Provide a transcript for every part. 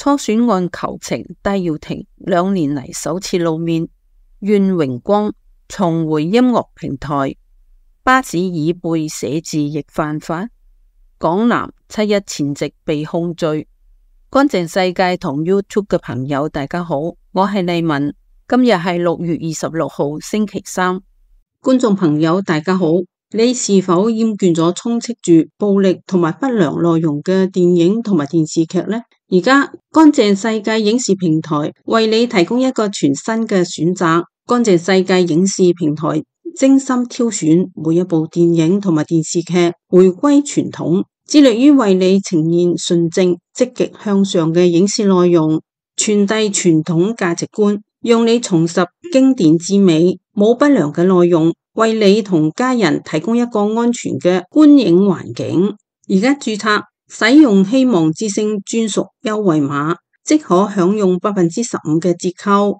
初選案求情，戴耀廷2年嚟首次露面，願榮光重回音樂平台，巴士椅背寫字亦犯法，港男7·1前夕被控罪。乾淨世界同 YouTube 嘅朋友大家好，我係麗文，今日係6月26號星期三。觀眾朋友大家好，你是否厭倦咗充斥住暴力同埋不良內容嘅電影同埋電視劇呢？而家乾淨世界影視平台為你提供一個全新嘅選擇。乾淨世界影視平台精心挑選每一部電影同埋電視劇，回歸傳統，致力於為你呈現純正、積極向上嘅影視內容，傳遞傳統價值觀，讓你重拾經典之美，冇不良嘅內容，為你同家人提供一個安全嘅觀影環境。而家註冊使用希望之聲專屬優惠碼，即可享用15%嘅折扣。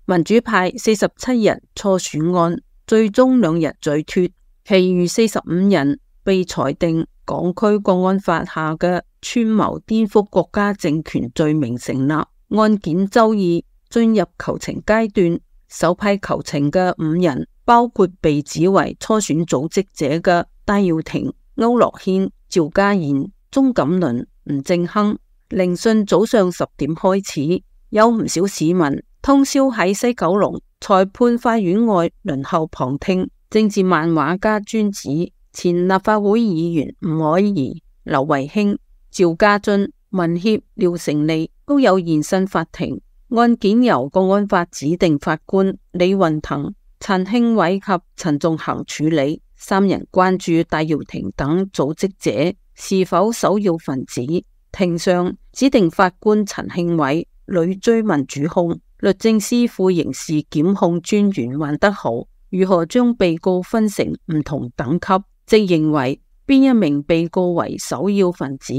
民主派47人初選案最終2日嘴脫，其餘45人被裁定港區國安法下嘅串謀顛覆國家政權罪名成立。案件周二進入求情階段，首批求情嘅5人包括被指為初選組織者嘅戴耀廷、區諾軒、趙家賢、鍾錦麟、吳政亨。聆訊早上10點開始，有唔少市民通宵喺西九龍裁判法院外輪候旁聽。政治漫畫家尊子、前立法會議員吳靄儀、劉慧卿、趙家俊、民協廖成利都有現身法庭。案件由國安法指定法官李運騰、陳慶偉及陳仲衡處理。3人關注戴耀廷等組織者是否首要分子。庭上指定法官陳慶偉屢追問主控，律政司副刑事檢控專員黃德豪如何將被告分成唔同等級，即認為邊一名被告為首要分子，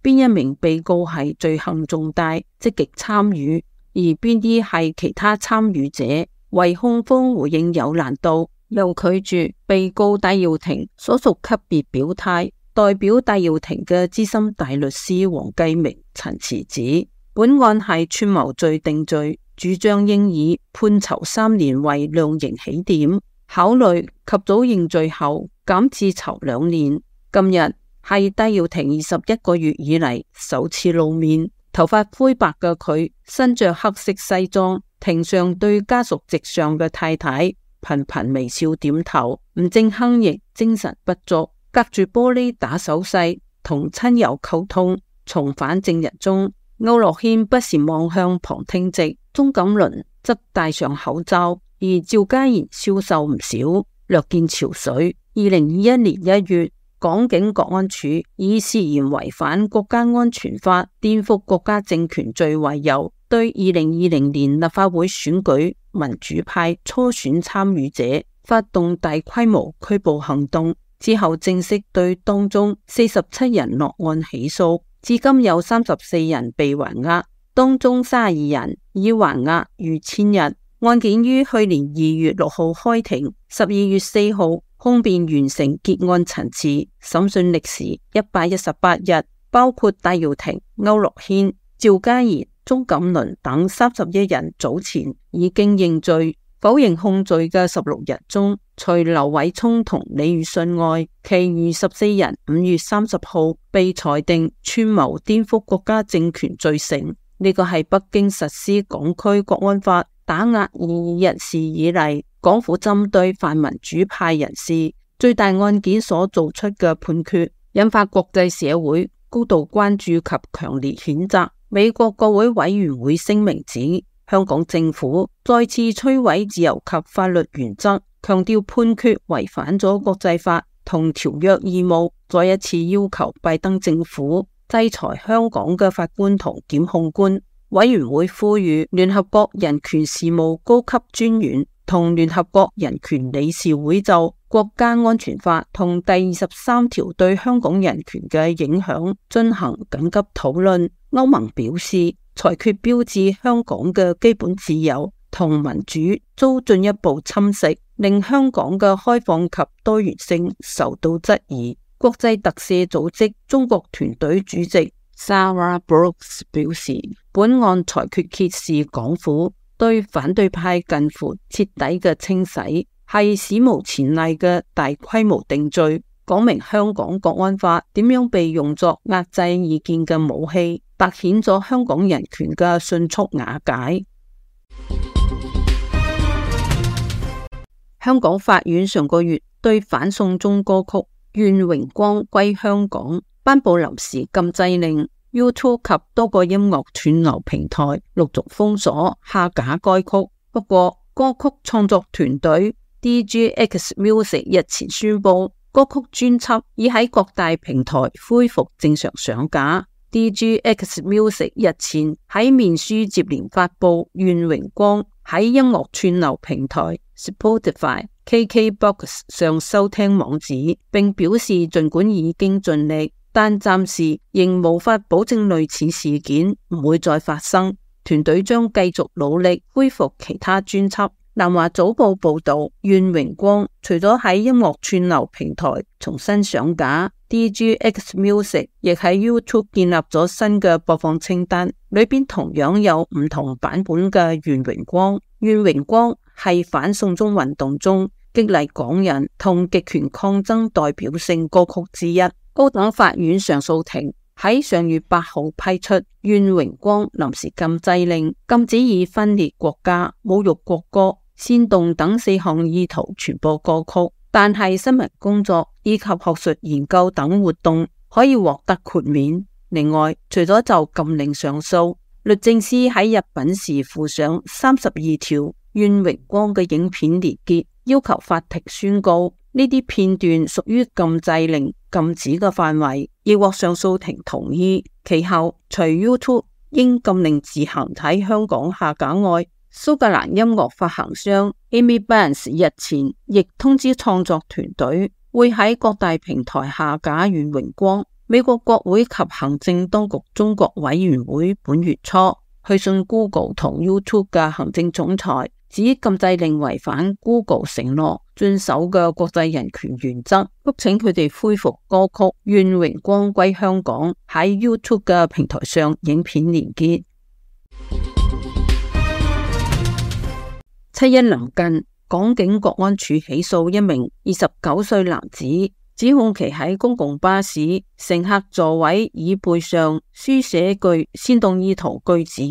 邊一名被告係罪行重大積極參與，而邊啲係其他參與者。為控方回應有難度，又拒絕被告戴耀廷所屬級別表態。代表戴耀廷嘅資深大律師黃繼明陳詞指，本案係串謀罪定罪，主張應以判囚3年為量刑起點，考慮及早認罪後減至囚2年。今日係戴耀廷21個月以嚟首次露面，頭髮灰白嘅佢身着黑色西裝，庭上對家屬席上嘅太太頻頻微笑點頭。吳政亨亦精神不足，隔住玻璃打手勢同親友溝通。重返證人中，區諾軒不時望向旁聽席，鍾錦麟則戴上口罩，而趙家賢消瘦唔少，略見憔悴。2021年1月，港警國安處以涉嫌違反國家安全法、顛覆國家政權罪為由，對2020年立法會選舉民主派初選參與者發動大規模拘捕行動，之後正式對當中47人落案起訴，至今有34人被還押，當中32人已還押逾1000日。案件於去年2月6號開庭，12月4號控辯完成結案陳詞，審訊歷時118日，包括戴耀廷、區諾軒、趙家賢、鍾錦麟等31人早前已經認罪否認控罪嘅16人中，除劉偉聰同李宇信外，其餘14人5月30號被裁定串謀顛覆國家政權罪成。呢個係北京實施港區國安法打壓異議人士以嚟，港府針對泛民主派人士最大案件所做出嘅判決，引發國際社會高度關注及強烈譴責。美國國會委員會聲明指，香港政府再次摧毀自由及法律原則，強調判決違反咗國際法同條約義務，再一次要求拜登政府制裁香港嘅法官同檢控官。委員會呼籲聯合國人權事務高級專員同聯合國人權理事會就國家安全法同第23條對香港人權嘅影響進行緊急討論。歐盟表示，裁決標誌香港嘅基本自由同民主遭進一步侵蝕，令香港嘅開放及多元性受到質疑。國際特赦組織中國團隊主席 Sarah Brooks 表示，本案裁決揭示港府對反對派近乎徹底嘅清洗，係史無前例嘅大規模定罪，講明香港國安法點樣被用作壓制異見嘅武器，凸顯咗香港人權嘅迅速瓦解。香港法院上個月對反送中歌曲《願榮光歸香港》頒布臨時禁制令， YouTube 及多個音樂串流平台陸續封鎖下架該曲。不過歌曲創作團隊 DGX Music 日前宣布，歌曲專輯已喺各大平台恢復正常上架。DGX Music 日前喺面書接連發布《願榮光》喺音樂串流平台 Spotify、KKBox 上收聽網址，並表示儘管已經盡力，但暫時仍無法保證類似事件唔會再發生。團隊將繼續努力恢復其他專輯。南華早報報道，《願榮光》除咗喺音樂串流平台重新上架， DGX Music 亦喺 YouTube 建立咗新嘅播放清單，裏邊同樣有唔同版本嘅《願榮光》。《願榮光》係反送中運動中激勵港人同極權抗爭代表性歌曲之一。高等法院上訴庭喺上月8號批出《願榮光》臨時禁制令，禁止以分裂國家、侮辱國歌、煽動等4項意圖傳播歌曲，但係新聞工作以及學術研究等活動可以獲得豁免。另外，除咗就禁令上訴，律政司喺入稟時附上32條願榮光嘅影片連結，要求法庭宣告呢啲片段屬於禁制令禁止嘅範圍，亦獲上訴庭同意。其後，除 YouTube 應禁令自行喺香港下架外，蘇格蘭音樂發行商 Amy Barnes 日前亦通知創作團隊會喺各大平台下架願榮光。美國國會及行政當局中國委員會本月初去信 Google 同 YouTube 嘅行政總裁，指禁制令違反 Google 承諾遵守嘅國際人權原則，促請佢哋恢復歌曲《願榮光歸香港》喺 YouTube 嘅平台上影片連結。7·1臨近，港警國安處起訴一名29歲男子，指控其喺公共巴士乘客座位椅背上書寫具煽動意圖句子，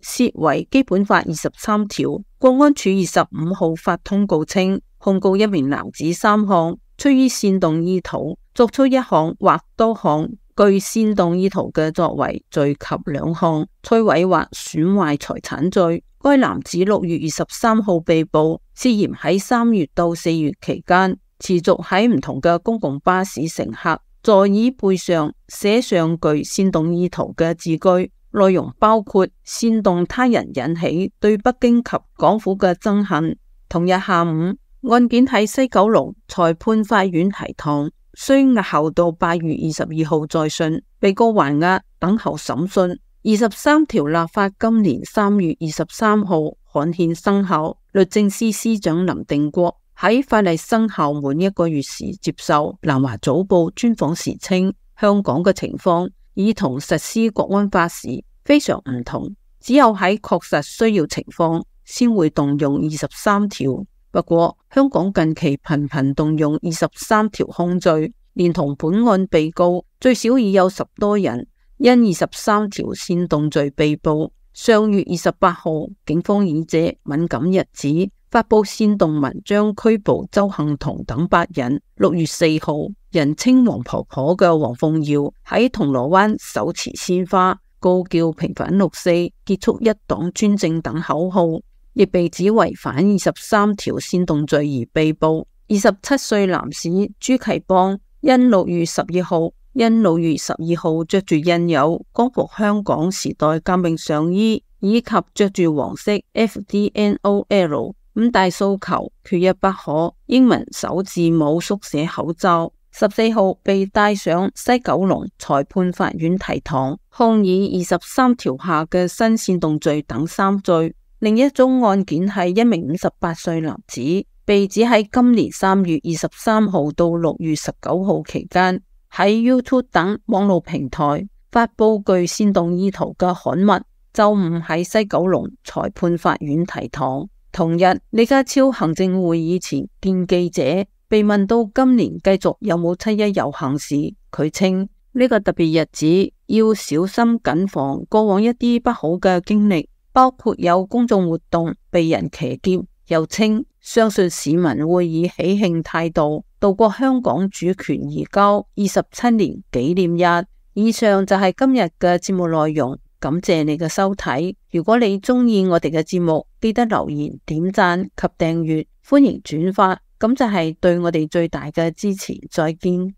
涉違基本法23條。國安處25號發通告稱，控告一名男子3項出於煽動意圖作出1項或多項具煽動意圖嘅作為罪及2項摧毀或損壞財產罪。該男子6月23號被捕，涉嫌喺3月到4月期間持續喺唔同嘅公共巴士乘客座椅背上寫上具煽動意圖嘅字句，內容包括煽動他人引起對北京及港府嘅憎恨。同日下午，案件喺西九龍裁判法院提堂，需押後到8月22號再訊，被告還押等候審訊。23條立法今年3月23號刊憲生效。律政司司長林定國喺法例生效滿1個月時接受南華早報專訪時稱，香港嘅情況已同實施國安法時非常唔同，只有喺確實需要情況先會動用23條。不過香港近期頻頻動用23條控罪，連同本案被告最少已有10多人因23條煽動罪被捕。上月28號，警方以這敏感日子發佈煽動文章拘捕鄒幸彤等8人。6月4號，人稱黃婆婆嘅黃鳳瑤喺銅鑼灣手持鮮花，高叫平反6·4、結束一黨專政等口號，亦被指違反23條煽動罪而被捕。27歲男士朱啟邦因6月12號着住印有光復香港時代革命上衣，以及着住黃色 FDNOL 5大訴求缺一不可英文首字母縮寫口罩，14號被帶上西九龍裁判法院提堂，控以23條下嘅新煽動罪等3罪。另一宗案件係一名58歲男子，被指喺今年3月23號到6月19號期間喺 YouTube 等網絡平台發佈具煽動意圖嘅刊物，周五喺西九龍裁判法院提堂。同日，李家超行政會議前見記者，被問到今年繼續有冇七一遊行時，佢稱呢個特別日子要小心謹防過往一啲不好嘅經歷，包括有公眾活動被人騎劫。又稱相信市民會以喜慶態度度過香港主權移交27年紀念日。以上就係今日嘅節目內容，感謝你嘅收睇。如果你鍾意我哋嘅節目，記得留言、點讚及訂閱，歡迎轉發，咁就係對我哋最大嘅支持。再見。